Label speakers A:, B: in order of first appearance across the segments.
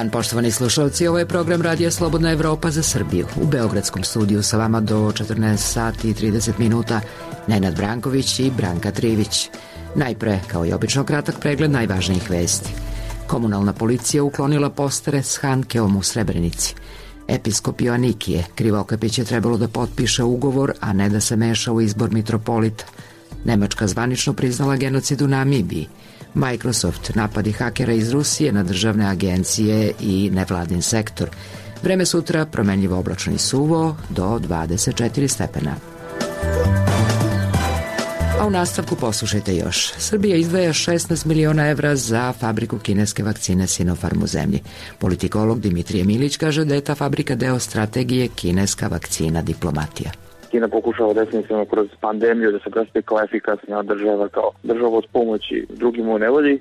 A: dan, poštovani slušalci. Ovo je program Radija Slobodna Evropa za Srbiju. U beogradskom studiju sa vama do 14 sati i 30 minuta Nenad Branković i Branka Trivić. Najpre, kao i obično, kratak pregled najvažnijih vesti. Komunalna policija uklonila postere s Handkeom u Srebrenici. Episkop Joanikije Krivokapić je trebalo da potpiše ugovor, a ne da se meša u izbor mitropolita. Nemačka zvanično priznala genocid u Namibiji. Microsoft napadi hakera iz Rusije na državne agencije i nevladin sektor. Vreme sutra promenljivo oblačno i suvo do 24 stepena. A u nastavku poslušajte još. Srbija izdvaja 16 miliona evra za fabriku kineske vakcine Sinopharm u zemlji. Politikolog Dimitrije Milić kaže da je ta fabrika deo strategije kineska vakcina diplomatija.
B: Kina pokušava definitivno kroz pandemiju da se predstavi kao efikasna država, kao država od pomoći drugima u nevolji.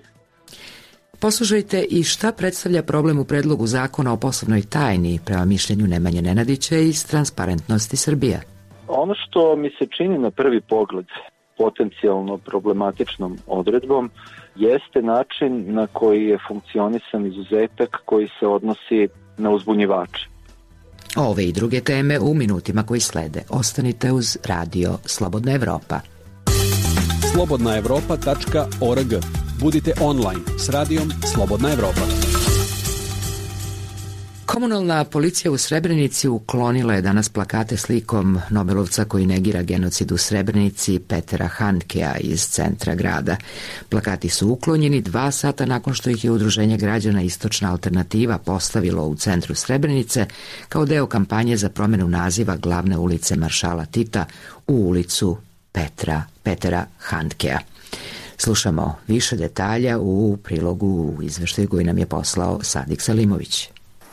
A: Poslušajte i šta predstavlja problem u predlogu zakona o poslovnoj tajni prema mišljenju Nemanje Nenadića iz Transparentnosti Srbija.
C: Ono što mi se čini na prvi pogled potencijalno problematičnom odredbom jeste način na koji je funkcionisan izuzetak koji se odnosi na uzbunjivače.
A: Ove i druge teme u minutima koji slede. Ostanite uz Radio Slobodna Evropa.
D: slobodnaevropa.org. Budite online s radijom Slobodna Evropa.
A: Komunalna policija u Srebrenici uklonila je danas plakate slikom Nobelovca koji negira genocid u Srebrenici Petera Handkea iz centra grada. Plakati su uklonjeni 2 sata nakon što ih je Udruženje građana Istočna alternativa postavilo u centru Srebrenice kao deo kampanje za promenu naziva glavne ulice Maršala Tita u ulicu Petera Handkea. Slušamo više detalja u prilogu u izveštaju koji nam je poslao Sadik Salimović.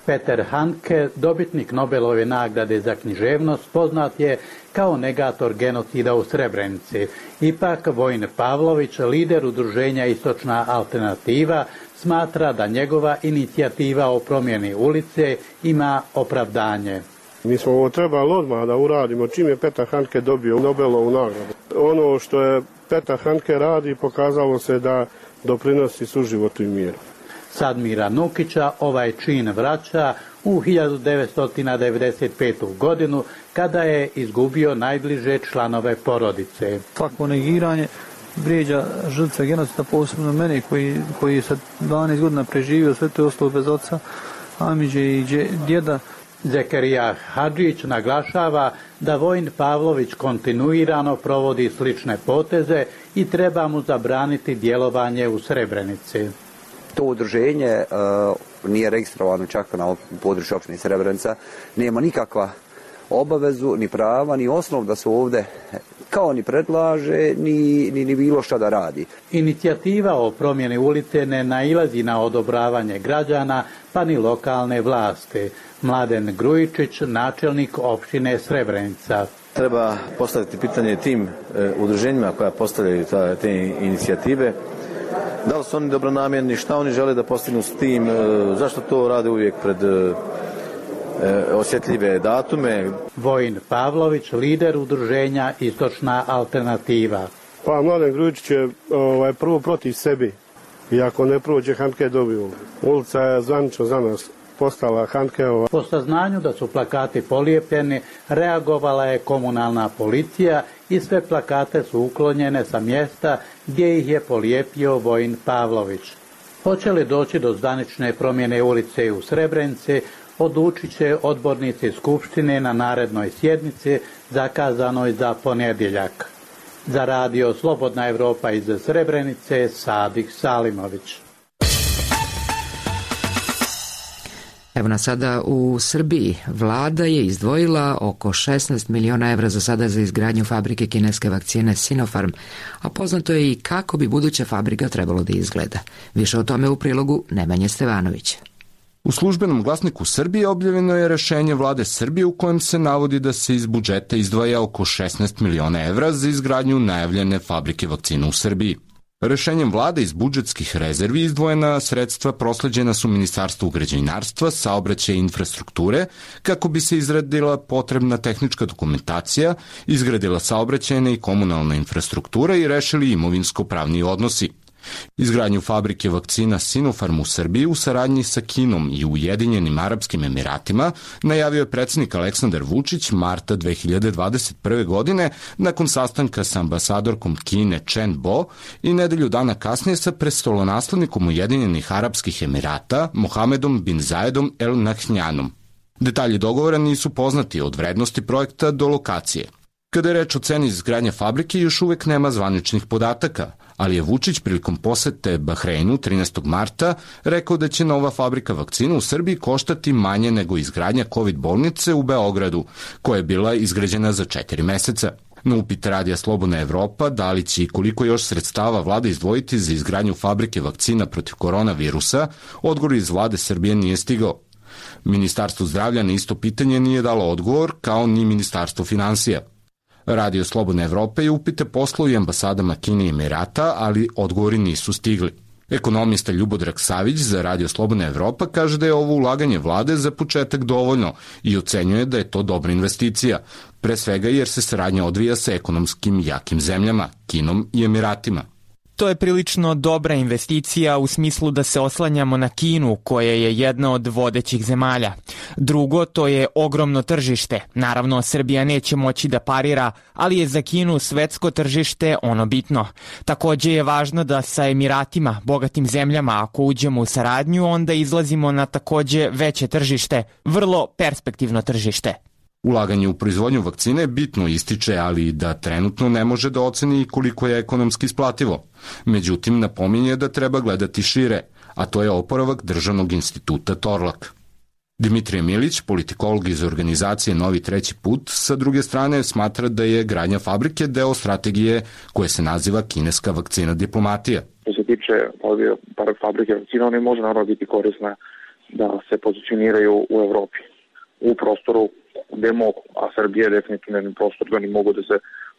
E: Peter Handke, dobitnik Nobelove nagrade za književnost, poznat je kao negator genocida u Srebrenici. Ipak Vojin Pavlović, lider udruženja Istočna alternativa, smatra da njegova inicijativa o promjeni ulice ima opravdanje.
F: Mi smo ovo trebali odmah da uradimo čim je Petar Handke dobio Nobelovu nagradu. Ono što je Petar Handke radi pokazalo se da doprinosi suživotu i miru.
E: Sadmira Nukića ovaj čin vraća u 1995. godinu kada je izgubio najbliže članove porodice.
G: Svako negiranje vrijeđa žrtve genocida, posebno mene koji sa 12 godina preživio, sve to je ostalo bez oca, Amidže i djeda.
E: Zekerija Hadžić naglašava da Vojin Pavlović kontinuirano provodi slične poteze i treba mu zabraniti djelovanje u Srebrenici.
H: To udruženje nije registrovano čak na području opštine Srebrenica, nema nikakva obavezu, ni prava, ni osnov da se ovdje kao ni predlaže, ni bilo šta da radi.
E: Inicijativa o promjeni ulice ne nailazi na odobravanje građana, pa ni lokalne vlasti. Mladen Grujičić, načelnik opštine Srebrenica.
I: Treba postaviti pitanje tim udruženjima koja postavljaju te inicijative. Da li su oni dobronamjerni, šta oni žele da postignu s tim, zašto to rade uvijek pred osjetljive datume.
E: Vojin Pavlović, lider udruženja Istočna alternativa.
F: Pa Mladen Grujičić je prvo protiv sebi i ako ne prođe Handke dobio. Ulica je zvanično za nas postala Handkeova.
E: Po saznanju da su plakati polijepljeni, reagovala je komunalna policija i sve plakate su uklonjene sa mjesta gdje ih je polijepio Vojin Pavlović. Hoće li doći do zvanične promjene ulice u Srebrenici, odlučit će odbornici Skupštine na narednoj sjednici zakazanoj za ponedjeljak. Za Radio Slobodna Evropa iz Srebrenice, Sadik Salimović.
A: Evo nas sada u Srbiji. Vlada je izdvojila oko 16 miliona evra za sada za izgradnju fabrike kineske vakcine Sinopharm, a poznato je i kako bi buduća fabrika trebalo da izgleda. Više o tome u prilogu Nemanje Stevanovića.
J: U službenom glasniku Srbije objavljeno je rešenje vlade Srbije u kojem se navodi da se iz budžeta izdvaja oko 16 miliona evra za izgradnju najavljene fabrike vakcina u Srbiji. Rešenjem vlade iz budžetskih rezervi izdvojena sredstva prosleđena su Ministarstvu građevinarstva, saobraćaja i infrastrukture kako bi se izradila potrebna tehnička dokumentacija, izgradila saobraćajna i komunalna infrastruktura i rešili imovinsko-pravni odnosi. Izgradnju fabrike vakcina Sinopharm u Srbiji u saradnji sa Kinom i Ujedinjenim Arapskim Emiratima najavio je predsjednik Aleksandar Vučić marta 2021. godine nakon sastanka sa ambasadorkom Kine Chen Bo i nedelju dana kasnije sa prestolonaslednikom Ujedinjenih Arapskih Emirata Mohamedom bin Zayedom El Nahyanom. Detalji dogovora nisu poznati od vrednosti projekta do lokacije. Kada je reč o ceni izgradnje fabrike, još uvek nema zvaničnih podataka, ali je Vučić prilikom posete Bahreinu 13. marta rekao da će nova fabrika vakcina u Srbiji koštati manje nego izgradnja COVID bolnice u Beogradu, koja je bila izgrađena za 4 meseca. Na upit Radija Slobodna Evropa da li će i koliko još sredstava vlada izdvojiti za izgradnju fabrike vakcina protiv koronavirusa, odgovor iz vlade Srbije nije stigao. Ministarstvo zdravlja na isto pitanje nije dalo odgovor, kao ni Ministarstvo finansija. Radio Slobodna Evropa je upite poslao i ambasadama Kine i Emirata, ali odgovori nisu stigli. Ekonomista Ljubodrag Savić za Radio Slobodna Evropa kaže da je ovo ulaganje vlade za početak dovoljno i ocenjuje da je to dobra investicija, pre svega jer se saradnja odvija sa ekonomskim jakim zemljama, Kinom i Emiratima.
K: To je prilično dobra investicija u smislu da se oslanjamo na Kinu, koja je jedna od vodećih zemalja. Drugo, to je ogromno tržište. Naravno, Srbija neće moći da parira, ali je za Kinu svetsko tržište ono bitno. Takođe je važno da sa Emiratima, bogatim zemljama, ako uđemo u saradnju, onda izlazimo na takođe veće tržište, vrlo perspektivno tržište.
J: Ulaganje u proizvodnju vakcine bitno ističe, ali da trenutno ne može da oceni koliko je ekonomski isplativo. Međutim, napominje da treba gledati šire, a to je oporavak Državnog instituta Torlak. Dimitrije Milić, politikolog iz organizacije Novi treći put, sa druge strane smatra da je gradnja fabrike deo strategije koje se naziva kineska vakcina diplomatija.
B: Što se tiče fabrike vakcina, one može naravno biti korisna da se pozicioniraju u Evropi, u prostoru gde mogu, a Srbija je definitivno jedan prostor da oni mogu da se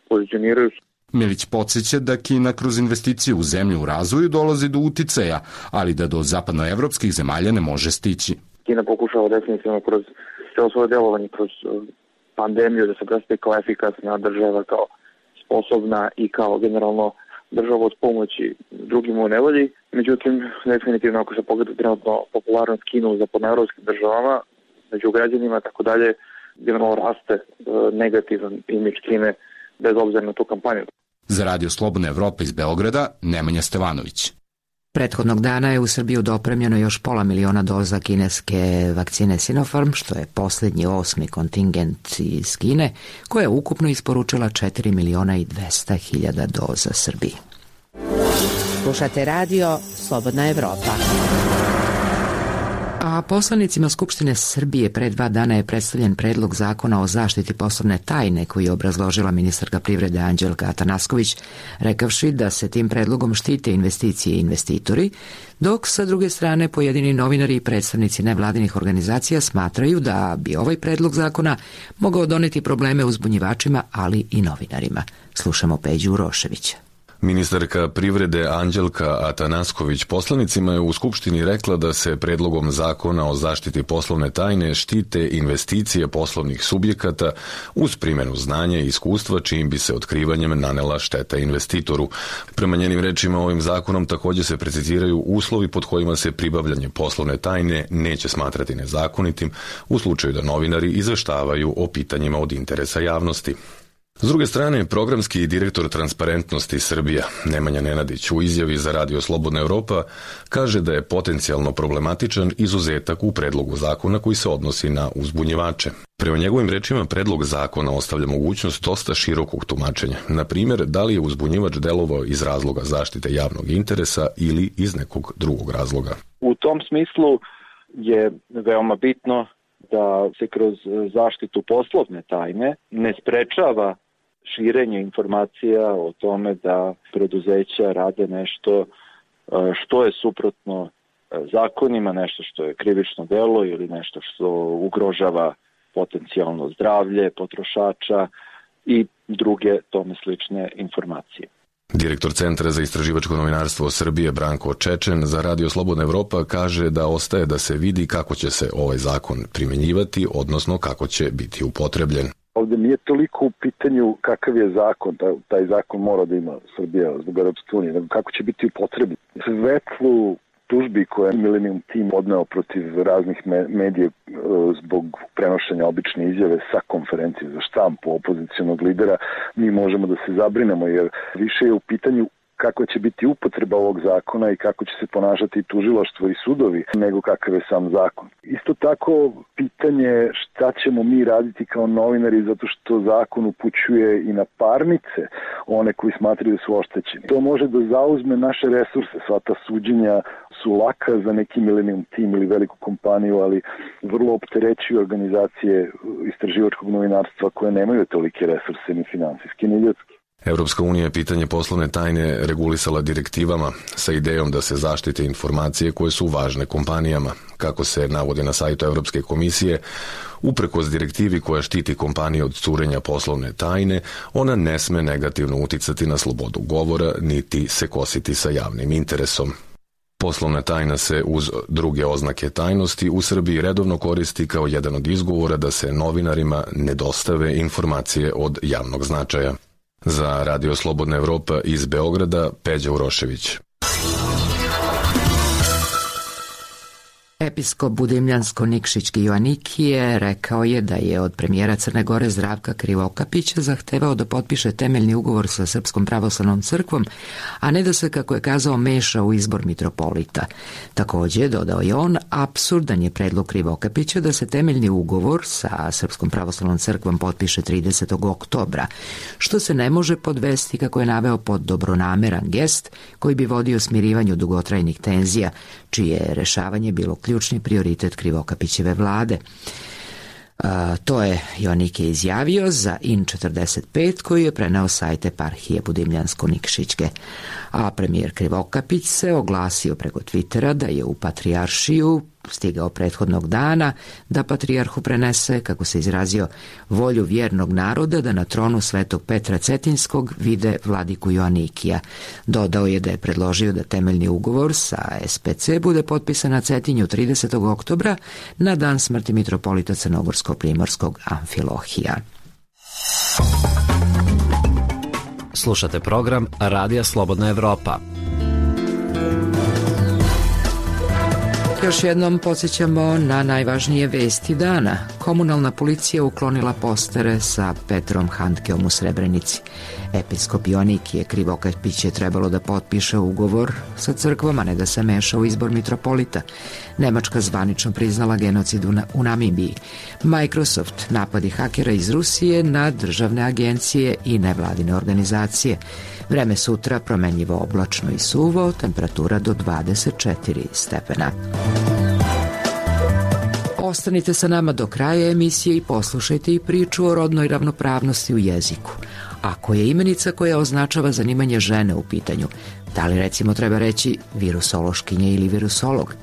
B: pozicioniraju.
J: Milić podsjeća da Kina kroz investicije u zemlju u razvoju dolazi do uticaja, ali da do zapadnoevropskih zemalja ne može stići.
B: Kina pokušava definitivno kroz celo svoje delovanje, kroz pandemiju da se predstavi kao efikasna država, kao sposobna i kao generalno država od pomoći drugim u nevolji. Međutim, definitivno ako se pogleda trenutno popularnost Kine u zapadnoevropskim državama, među građanima, tako dalje, generalno raste negativan imidž Kine bez obzira na tu kampanju.
J: Za Radio Slobodna Evropa iz Beograda, Nemanja Stevanović.
A: Prethodnog dana je u Srbiju dopremljeno još 500.000 doza kineske vakcine Sinopharm, što je posljednji 8. kontingent iz Kine, koja je ukupno isporučila 4.200.000 doza Srbiji.
L: Slušate Radio Slobodna Evropa.
A: A poslanicima Skupštine Srbije pre 2 dana je predstavljen predlog zakona o zaštiti poslovne tajne koji je obrazložila ministarka privrede Anđelka Atanasković, rekavši da se tim predlogom štite investicije i investitori, dok sa druge strane pojedini novinari i predstavnici nevladinih organizacija smatraju da bi ovaj predlog zakona mogao doneti probleme uzbunjivačima, ali i novinarima. Slušamo Peđu Uroševića.
M: Ministarka privrede Anđelka Atanasković poslanicima je u Skupštini rekla da se predlogom zakona o zaštiti poslovne tajne štite investicije poslovnih subjekata uz primjenu znanja i iskustva čijim bi se otkrivanjem nanela šteta investitoru. Prema njenim rečima ovim zakonom također se preciziraju uslovi pod kojima se pribavljanje poslovne tajne neće smatrati nezakonitim u slučaju da novinari izveštavaju o pitanjima od interesa javnosti. S druge strane, programski direktor Transparentnosti Srbija, Nemanja Nenadić, u izjavi za Radio Slobodna Evropa kaže da je potencijalno problematičan izuzetak u predlogu zakona koji se odnosi na uzbunjivače. Prema njegovim rečima, predlog zakona ostavlja mogućnost dosta širokog tumačenja. Na primjer, da li je uzbunjivač delovao iz razloga zaštite javnog interesa ili iz nekog drugog razloga.
C: U tom smislu je veoma bitno da se kroz zaštitu poslovne tajne ne sprečava širenje informacija o tome da preduzeća rade nešto što je suprotno zakonima, nešto što je krivično delo ili nešto što ugrožava potencijalno zdravlje potrošača i druge tome slične informacije.
M: Direktor Centra za istraživačko novinarstvo Srbije Branko Čečen za Radio Slobodna Evropa kaže da ostaje da se vidi kako će se ovaj zakon primjenjivati, odnosno kako će biti upotrebljen.
N: Ovde nije toliko u pitanju kakav je zakon, taj zakon mora da ima Srbija zbog Europske unije, nego kako će biti upotrebljen. Svetlu tužbi koje je Millennium Team odneo protiv raznih medija zbog prenošenja obične izjave sa konferencije za štampu opozicionog lidera, mi možemo da se zabrinemo, jer više je u pitanju kako će biti upotreba ovog zakona i kako će se ponašati tužilaštvo i sudovi, nego kakav je sam zakon. Isto tako, pitanje šta ćemo mi raditi kao novinari, zato što zakon upućuje i na parnice one koji smatraju da su oštećeni. To može da zauzme naše resurse, sva ta suđenja su laka za neki Millennium Team ili veliku kompaniju, ali vrlo opterećuju organizacije istraživačkog novinarstva koje nemaju tolike resurse ni finansijski ni ljudski.
M: Europska unija je pitanje poslovne tajne regulisala direktivama sa idejom da se zaštite informacije koje su važne kompanijama. Kako se navodi na sajtu Europske komisije, uprkos direktivi koja štiti kompanije od curenja poslovne tajne, ona ne sme negativno uticati na slobodu govora niti se kositi sa javnim interesom. Poslovna tajna se uz druge oznake tajnosti u Srbiji redovno koristi kao jedan od izgovora da se novinarima ne dostave informacije od javnog značaja. Za Radio Slobodna Evropa iz Beograda, Peđa Urošević.
A: Episkop Budimljansko-Nikšićki Joanikije rekao je da je od premijera Crne Gore Zdravka Krivokapića zahtevao da potpiše temeljni ugovor sa Srpskom pravoslavnom crkvom, a ne da se, kako je kazao, meša u izbor mitropolita. Također, dodao je on, apsurdan je predlog Krivokapića da se temeljni ugovor sa Srpskom pravoslavnom crkvom potpiše 30. oktobra, što se ne može podvesti, kako je naveo, pod dobronameran gest koji bi vodio smirivanju dugotrajnih tenzija, čije je rešavanje bilo ključni prioritet Krivokapićeve vlade. To je Joanike izjavio za IN45 koji je preneo sajt eparhije Budimljansko-Nikšićke. A premijer Krivokapić se oglasio preko Twittera da je u patrijaršiju stigao prethodnog dana da patrijarhu prenese, kako se izrazio, volju vjernog naroda da na tronu Svetog Petra Cetinskog vide vladiku Joanikija. Dodao je da je predložio da temeljni ugovor sa SPC bude potpisan na Cetinju 30. oktobra na dan smrti mitropolita Crnogorsko-primorskog Amfilohija.
O: Slušate program Radija Slobodna Evropa.
A: Još jednom podsjećamo na najvažnije vesti dana. Komunalna policija uklonila postere sa Petrom Handkeom u Srebrenici. Episkop Joanikije Krivokapić je trebalo da potpiše ugovor sa crkvom, a ne da se meša u izbor mitropolita. Nemačka zvanično priznala genocid u Namibiji. Microsoft, napadi hakera iz Rusije na državne agencije i nevladine organizacije. Vreme sutra promenljivo oblačno i suvo, temperatura do 24 stepena. Ostanite sa nama do kraja emisije i poslušajte i priču o rodnoj ravnopravnosti u jeziku. Ako je imenica koja označava zanimanje žene u pitanju, da li recimo treba reći virusološkinje ili virusolog?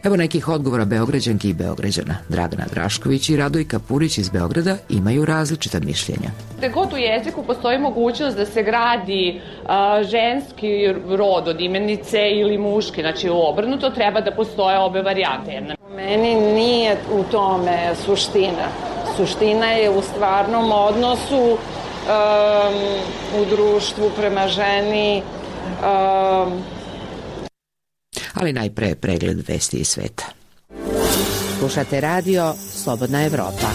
A: Evo nekih odgovora Beograđanki i Beograđana. Dragana Drašković i Radojka Purić iz Beograda imaju različita mišljenja.
P: Gde god u jeziku postoji mogućnost da se gradi ženski rod od imenice ili muški, znači obrnuto, treba da postoje obe varijante.
Q: Meni nije u tome suština. Suština je u stvarnom odnosu u društvu prema ženi.
A: Ali najpre pregled vesti iz sveta.
L: Slušate radio Slobodna Evropa.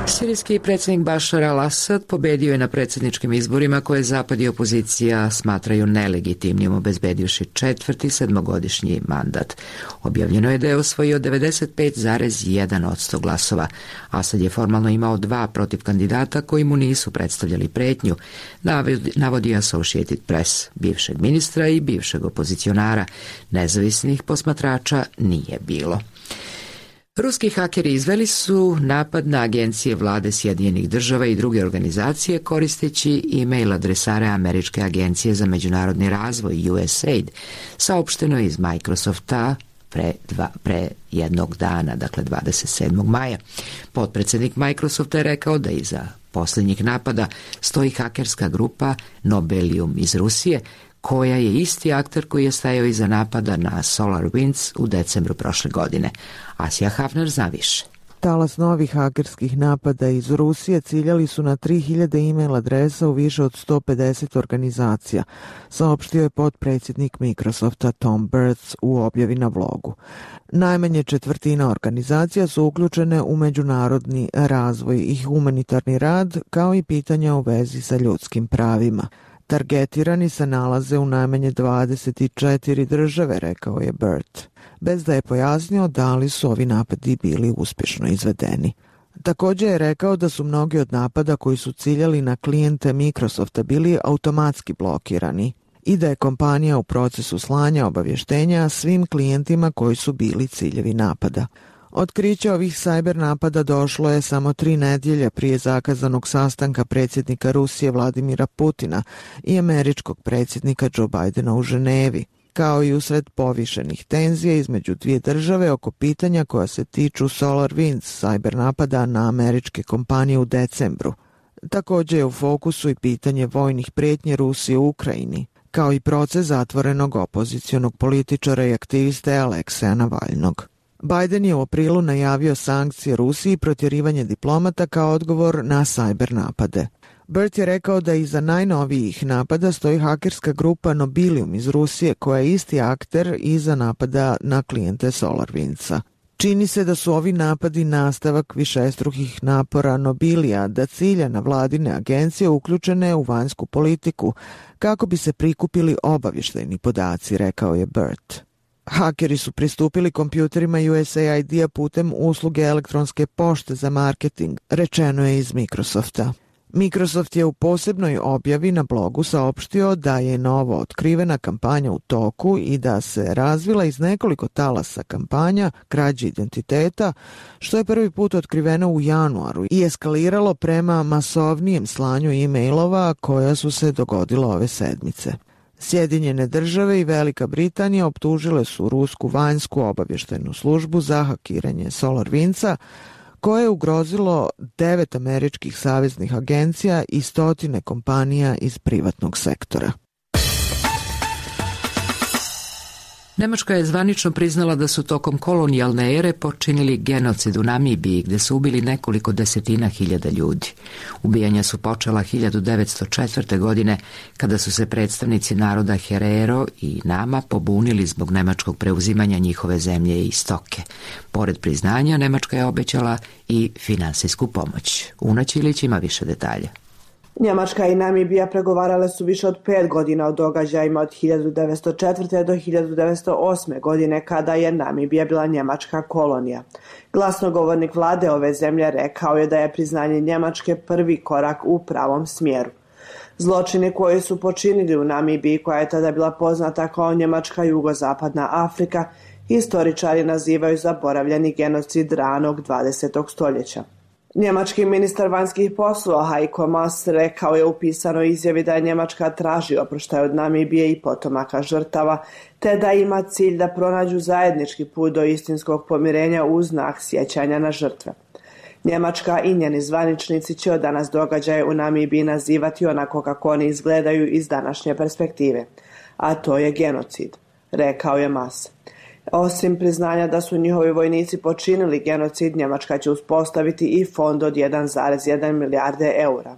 A: Sirijski predsjednik Bašar al-Asad pobedio je na predsjedničkim izborima koje zapad i opozicija smatraju nelegitimnim, obezbedivši 4. sedmogodišnji mandat. Objavljeno je da je osvojio 95,1% glasova. Asad je formalno imao 2 protiv kandidata koji mu nisu predstavljali pretnju, navodi Associated Press. Bivšeg ministra i bivšeg opozicionara nezavisnih posmatrača nije bilo. Ruski hakeri izveli su napad na agencije vlade Sjedinjenih država i druge organizacije koristeći e-mail adresare Američke agencije za međunarodni razvoj USAID, saopšteno iz Microsofta pre jednog dana, dakle 27. maja. Potpredsjednik Microsofta je rekao da iza posljednjih napada stoji hakerska grupa Nobelium iz Rusije, koja je isti akter koji je stajao iza napada na SolarWinds u decembru prošle godine. Asija Hafner zna više.
R: Talas novih hakerskih napada iz Rusije ciljali su na 3000 e-mail adresa u više od 150 organizacija, saopštio je potpredsjednik Microsofta Tom Burns u objavi na blogu. Najmanje četvrtina organizacija su uključene u međunarodni razvoj i humanitarni rad, kao i pitanja u vezi sa ljudskim pravima. Targetirani se nalaze u najmanje 24 države, rekao je Burt, bez da je pojasnio da li su ovi napadi bili uspješno izvedeni. Također je rekao da su mnogi od napada koji su ciljali na klijente Microsofta bili automatski blokirani i da je kompanija u procesu slanja obavještenja svim klijentima koji su bili ciljevi napada. Otkriće ovih cyber napada došlo je samo 3 nedjelje prije zakazanog sastanka predsjednika Rusije Vladimira Putina i američkog predsjednika Joe Bidena u Ženevi, kao i usred povišenih tenzija između dvije države oko pitanja koja se tiču SolarWinds cyber napada na američke kompanije u decembru. Također je u fokusu i pitanje vojnih prijetnje Rusije u Ukrajini, kao i proces zatvorenog opozicionog političara i aktiviste Alekseja Navalnog. Biden je u aprilu najavio sankcije Rusiji i protjerivanje diplomata kao odgovor na cyber napade. Burt je rekao da iza najnovijih napada stoji hakerska grupa Nobilium iz Rusije, koja je isti akter iza napada na klijente SolarWindsa. Čini se da su ovi napadi nastavak višestrukih napora Nobilija da cilja na vladine agencije uključene u vanjsku politiku kako bi se prikupili obavještajni podaci, rekao je Burt. Hakeri su pristupili kompjuterima USAID-a putem usluge elektronske pošte za marketing, rečeno je iz Microsofta. Microsoft je u posebnoj objavi na blogu saopštio da je novo otkrivena kampanja u toku i da se razvila iz nekoliko talasa kampanja krađe identiteta, što je prvi put otkriveno u januaru i eskaliralo prema masovnijem slanju e-mailova koja su se dogodila ove sedmice. Sjedinjene države i Velika Britanija optužile su rusku vanjsku obavještajnu službu za hakiranje SolarWindsa, koje je ugrozilo 9 američkih saveznih agencija i 100 kompanija iz privatnog sektora.
A: Nemačka je zvanično priznala da su tokom kolonijalne ere počinili genocid u Namibiji, gde su ubili nekoliko desetina hiljada ljudi. Ubijanja su počela 1904. godine, kada su se predstavnici naroda Herero i Nama pobunili zbog nemačkog preuzimanja njihove zemlje i stoke. Pored priznanja, Nemačka je obećala i finansijsku pomoć. Una Ćilić ima više detalja.
S: Njemačka i Namibija pregovarale su više od 5 godina o događajima od 1904. do 1908. godine, kada je Namibija bila njemačka kolonija. Glasnogovornik vlade ove zemlje rekao je da je priznanje Njemačke prvi korak u pravom smjeru. Zločini koji su počinili u Namibiji, koja je tada bila poznata kao Njemačka jugozapadna Afrika, historičari nazivaju zaboravljeni genocid ranog 20. stoljeća. Njemački ministar vanjskih poslova Heiko Maas rekao je u pisanoj izjavi da je Njemačka traži oproštaj od Namibije i potomaka žrtava, te da ima cilj da pronađu zajednički put do istinskog pomirenja uz znak sjećanja na žrtve. Njemačka i njeni zvaničnici će od danas događaje u Namibiji nazivati onako kako oni izgledaju iz današnje perspektive, a to je genocid, rekao je Maas. Osim priznanja da su njihovi vojnici počinili genocid, Njemačka će uspostaviti i fond od 1,1 milijarde eura.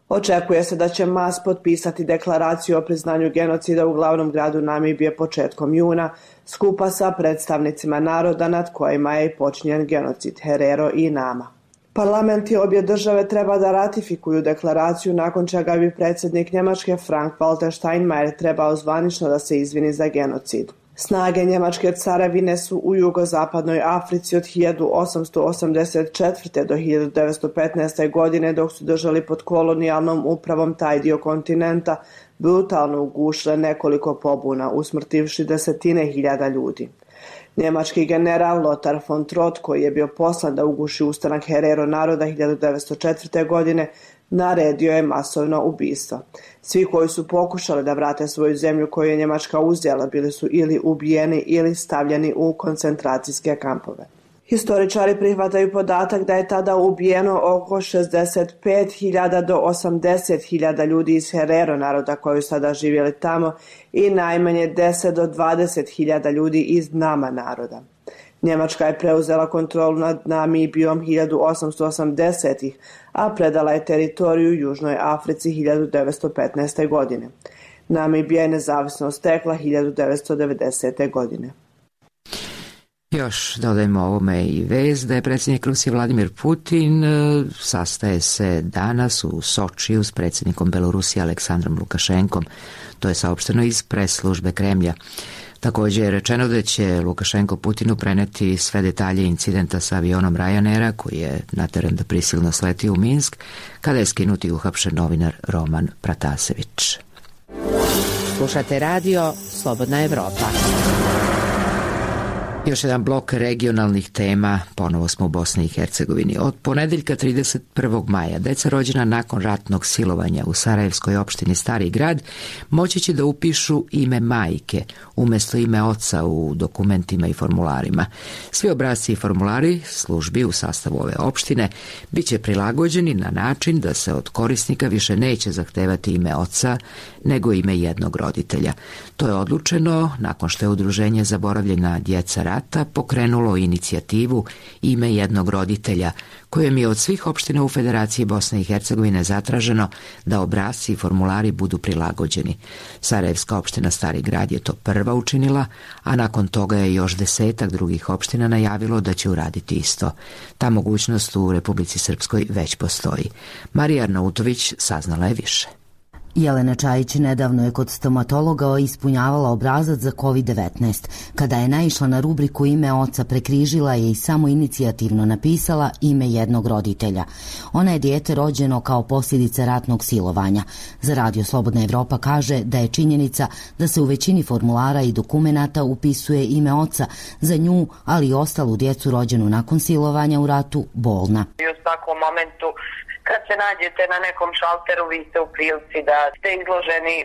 S: Očekuje se da će Maas potpisati deklaraciju o priznanju genocida u glavnom gradu Namibije početkom juna, skupa sa predstavnicima naroda nad kojima je i počinjen genocid Herero i Nama. Parlamenti obje države treba da ratifikuju deklaraciju, nakon čega bi predsjednik Njemačke Frank-Walter Steinmeier trebao zvanično da se izvini za genocid. Snage Njemačke carevine su u jugozapadnoj Africi od 1884. do 1915. godine, dok su držali pod kolonijalnom upravom taj dio kontinenta, brutalno ugušile nekoliko pobuna, usmrtivši desetine hiljada ljudi. Njemački general Lothar von Trott, koji je bio poslan da uguši ustanak Herero naroda 1904. godine, naredio je masovno ubistvo. Svi koji su pokušali da vrate svoju zemlju koju je Njemačka uzela bili su ili ubijeni ili stavljeni u koncentracijske kampove. Historičari prihvataju podatak da je tada ubijeno oko 65.000 do 80.000 ljudi iz Herero naroda koji su tada živjeli tamo i najmanje 10 do 20.000 ljudi iz Nama naroda. Njemačka je preuzela kontrolu nad Namibijom 1880-ih, a predala je teritoriju Južnoj Africi 1915. godine. Namibija je nezavisnost stekla 1990. godine.
A: Još dodajmo ovome i vez da je predsjednik Rusije Vladimir Putin sastaje se danas u Sočiju s predsjednikom Belorusije Aleksandrom Lukašenkom. To je saopšteno iz pres službe Kremlja. Također je rečeno da će Lukašenko Putinu preneti sve detalje incidenta sa avionom Ryanaira koji je nateren da prisilno sletio u Minsk kada je skinut i uhapšen novinar Roman Pratasević.
L: Slušate radio Slobodna Evropa.
A: Još jedan blok regionalnih tema, ponovo smo u Bosni i Hercegovini. Od ponedeljka 31. maja deca rođena nakon ratnog silovanja u Sarajevskoj opštini Stari grad moći će da upišu ime majke umjesto ime oca u dokumentima i formularima. Svi obrasci i formulari službi u sastavu ove opštine bit će prilagođeni na način da se od korisnika više neće zahtevati ime oca nego ime jednog roditelja. To je odlučeno nakon što je Udruženje Zaboravljena djeca rata pokrenulo inicijativu Ime jednog roditelja, kojem je od svih opština u Federaciji Bosne i Hercegovine zatraženo da obrasci i formulari budu prilagođeni. Sarajevska opština Stari grad je to prva učinila, a nakon toga je još 10 drugih opština najavilo da će uraditi isto. Ta mogućnost u Republici Srpskoj već postoji. Marija Arnautović saznala je više.
T: Jelena Čajić nedavno je kod stomatologa ispunjavala obrazac za COVID-19. Kada je naišla na rubriku ime oca, prekrižila je i samo inicijativno napisala ime jednog roditelja. Ona je dijete rođeno kao posljedica ratnog silovanja. Za Radio Slobodna Evropa kaže da je činjenica da se u većini formulara i dokumenata upisuje ime oca za nju, ali i ostalu djecu rođenu nakon silovanja u ratu, bolna.
U: I u svakom momentu kad se nađete na nekom šalteru, vi ste u prilici da ste izloženi,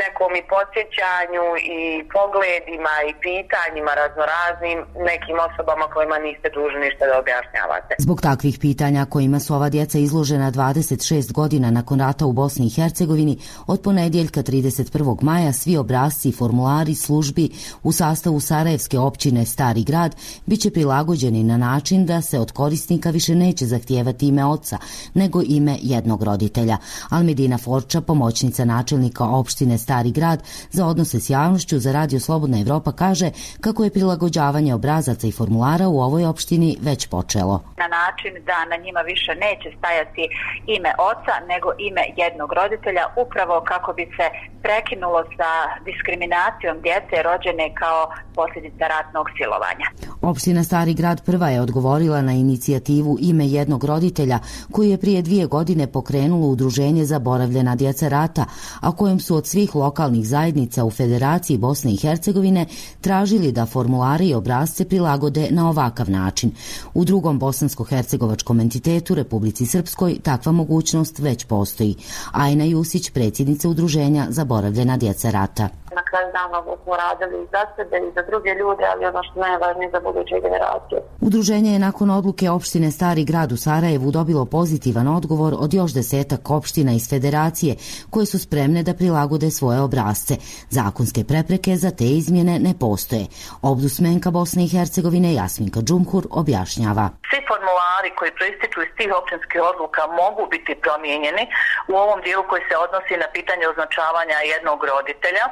U: nekom i podsjećanju i pogledima i pitanjima raznoraznim nekim osobama kojima niste dužni ništa da objašnjavate.
T: Zbog takvih pitanja kojima su ova djeca izložena 26 godina nakon rata u Bosni i Hercegovini, od ponedjeljka 31. maja svi obrasci i formulari službi u sastavu Sarajevske općine Stari grad biće prilagođeni na način da se od korisnika više neće zahtijevati ime oca, nego ime jednog roditelja. Almedina Forča, pomoćnica načelnika opštine Stari grad za odnose s javnošću za Radio Slobodna Evropa, kaže kako je prilagođavanje obrazaca i formulara u ovoj opštini već počelo.
V: Na način da na njima više neće stajati ime oca, nego ime jednog roditelja, upravo kako bi se prekinulo sa diskriminacijom djece rođene kao posljedica ratnog silovanja.
T: Opština Stari grad prva je odgovorila na inicijativu Ime jednog roditelja, koju je prije 2 godine pokrenulo Udruženje Zaboravljena djeca rata, a kojem su od svih lokalnih zajednica u Federaciji Bosne i Hercegovine tražili da formulare i obrasce prilagode na ovakav način. U drugom bosansko-hercegovačkom entitetu, Republici Srpskoj, takva mogućnost već postoji. Ajna Jusić, predsjednica Udruženja Zaboravljena djeca rata.
U: Na kraju dana smo radili i za sebe i za druge ljude, ali ono što najvažnije za buduće generacije.
T: Udruženje je nakon odluke opštine Stari grad u Sarajevu dobilo pozitivan odgovor od još 10 opština iz Federacije koje su spremne da prilagode svoje obrasce. Zakonske prepreke za te izmjene ne postoje. Ombudsmenka Bosne i Hercegovine Jasminka Džumhur objašnjava.
U: Svi formulari koji proističu iz tih općinskih odluka mogu biti promijenjeni u ovom dijelu koji se odnosi na pitanje označavanja jednog roditelja,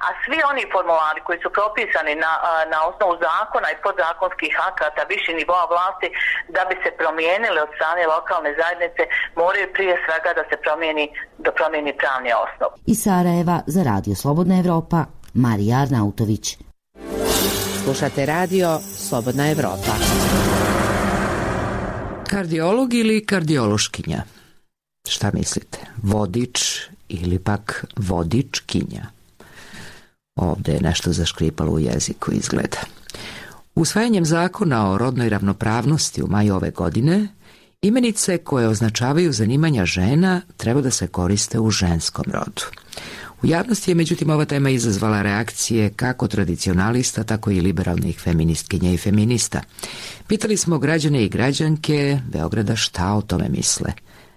U: a svi oni formulari koji su propisani na osnovu zakona i podzakonskih akata viših nivoa vlasti da bi se promijenili od strane lokalne zajednice, moraju prije svega da se promijeni pravni osnov.
T: Iz Sarajeva za Radio Slobodna Evropa, Marija Arnautović.
L: Slušate radio Slobodna Evropa.
A: Kardiolog ili kardiološkinja? Šta mislite? Vodič ili pak vodičkinja? Ovdje je nešto zaškripalo u jeziku, izgleda. Usvajanjem zakona o rodnoj ravnopravnosti u maju ove godine, imenice koje označavaju zanimanja žena treba da se koriste u ženskom rodu. U javnosti je međutim ova tema izazvala reakcije kako tradicionalista, tako i liberalnih feministkinja i feminista. Pitali smo građane i građanke Beograda šta o tome misle.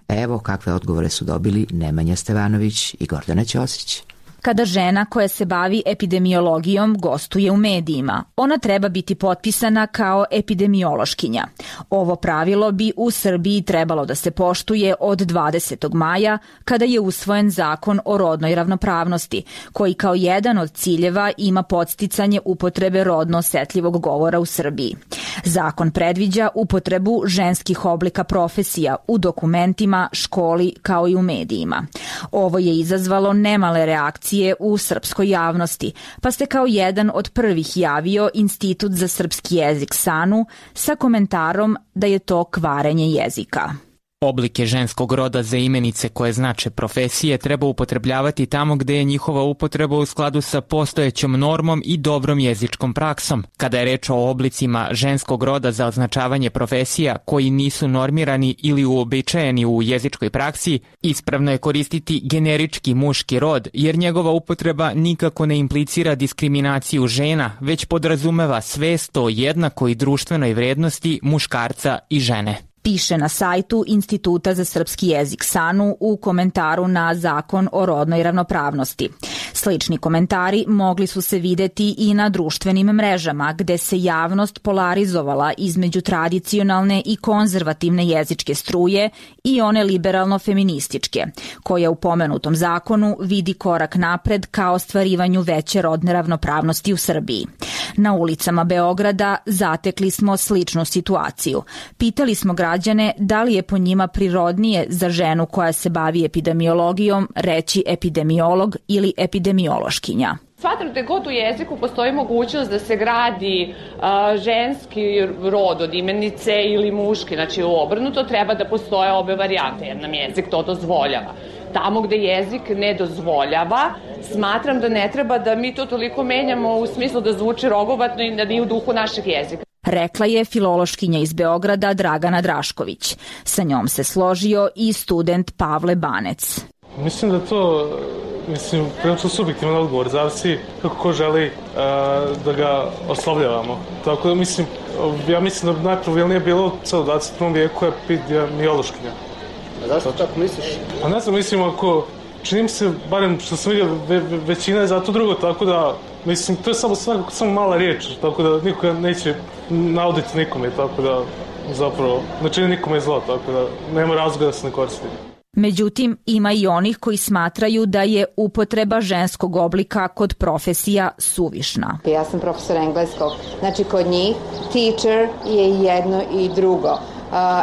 A: Evo kakve odgovore su dobili Nemanja Stevanović i Gordana Ćosić.
D: Kada žena koja se bavi epidemiologijom gostuje u medijima, ona treba biti potpisana kao epidemiološkinja. Ovo pravilo bi u Srbiji trebalo da se poštuje od 20. maja, kada je usvojen zakon o rodnoj ravnopravnosti, koji kao jedan od ciljeva ima podsticanje upotrebe rodno osetljivog govora u Srbiji. Zakon predviđa upotrebu ženskih oblika profesija u dokumentima, školi kao i u medijima. Ovo je izazvalo nemale reakcije u srpskoj javnosti, pa se kao jedan od prvih javio Institut za srpski jezik SANU sa komentarom da je to kvarenje jezika.
K: Oblike ženskog roda za imenice koje znače profesije treba upotrebljavati tamo gde je njihova upotreba u skladu sa postojećom normom i dobrom jezičkom praksom. Kada je reč o oblicima ženskog roda za označavanje profesija koji nisu normirani ili uobičajeni u jezičkoj praksi, ispravno je koristiti generički muški rod, jer njegova upotreba nikako ne implicira diskriminaciju žena, već podrazumeva svest o jednakoj društvenoj vrednosti muškarca i žene.
D: Piše na sajtu Instituta za srpski jezik SANU u komentaru na zakon o rodnoj ravnopravnosti. Slični komentari mogli su se videti i na društvenim mrežama, gde se javnost polarizovala između tradicionalne i konzervativne jezičke struje i one liberalno-feminističke, koja u pomenutom zakonu vidi korak napred ka ostvarivanju veće rodne ravnopravnosti u Srbiji. Na ulicama Beograda zatekli smo sličnu situaciju. Pitali smo građane da li je po njima prirodnije za ženu koja se bavi epidemiologijom reći epidemiolog ili epidemiološkinja.
P: Smatram da god u jeziku postoji mogućnost da se gradi ženski rod od imenice ili muški, znači obrnuto, treba da postoje obe varijante, jer nam jezik to dozvoljava. Tamo gde jezik ne dozvoljava, smatram da ne treba da mi to toliko menjamo u smislu da zvuči rogobatno i da nije u duhu našeg jezika.
D: Rekla je filološkinja iz Beograda Dragana Drašković. Sa njom se složio i student Pavle Banec.
G: Mislim da to, prilično subjektivan odgovor, zavisi kako ko želi da ga oslovljavamo. Tako da ja mislim da najpravilnije bilo u celom 21. vijeku je epidemiološkinja.
W: A zašto tako misliš?
G: Pa ne znam, čini mi se, barem što sam vidio, većina je za to drugo, tako da, to je samo mala riječ, tako da nikoga neće nauditi nikome, tako da, zapravo, ne čini nikome zlo, tako da nema razloga da se ne koristi.
D: Međutim, ima i onih koji smatraju da je upotreba ženskog oblika kod profesija suvišna.
X: Ja sam profesor engleskog, znači kod njih teacher je jedno i drugo.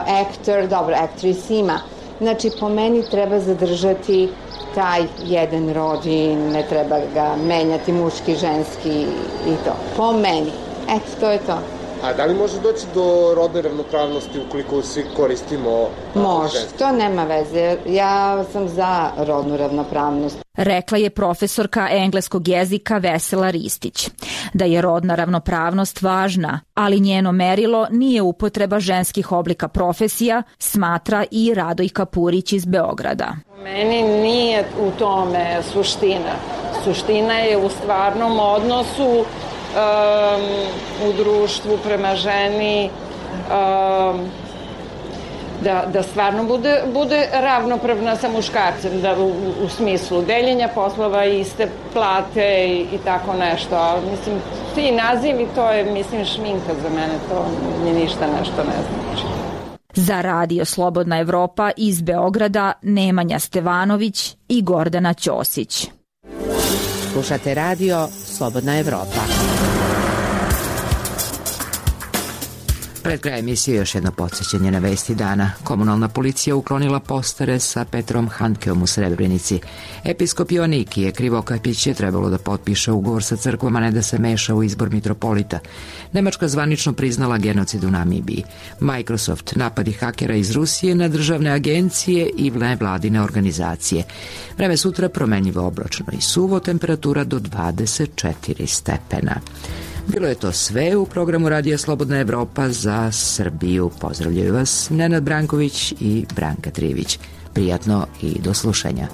X: Actor, actress ima. Znači, po meni treba zadržati taj jedan rod i ne treba ga menjati muški, ženski i to. Po meni. Eto, to je to.
W: A da li može doći do rodne ravnopravnosti ukoliko svi koristimo
X: može,
W: ženski?
X: To nema veze. Ja sam za rodnu ravnopravnost.
D: Rekla je profesorka engleskog jezika Vesela Ristić. Da je rodna ravnopravnost važna, ali njeno merilo nije upotreba ženskih oblika profesija, smatra i Radojka Purić iz Beograda.
Q: Meni nije u tome suština. Suština je u stvarnom odnosu u društvu prema ženi, da stvarno bude ravnopravna sa muškarcem, da u smislu deljenja poslova, iste plate i tako nešto. Ali ti nazivi, to je šminka za mene, to mi ništa nešto ne znači.
D: Za Radio Slobodna Evropa iz Beograda Nemanja Stevanović i Gordana Ćosić.
L: Slušate Radio Slobodna Evropa.
A: Pred kraj emisije još jedno podsjećanje na vesti dana. Komunalna policija uklonila postare sa Petrom Handkeom u Srebrenici. Episkop Joannikije Krivokapić je trebalo da potpiše ugovor sa crkvom, a ne da se meša u izbor mitropolita. Nemačka zvanično priznala genocid u Namibiji. Microsoft, napadi hakera iz Rusije na državne agencije i nevladine organizacije. Vreme sutra promenljivo oblačno i suvo, temperatura do 24 stepena. Bilo je to sve u programu Radija Slobodna Evropa za Srbiju. Pozdravljaju vas Nenad Branković i Branka Trivić. Prijatno i do slušanja.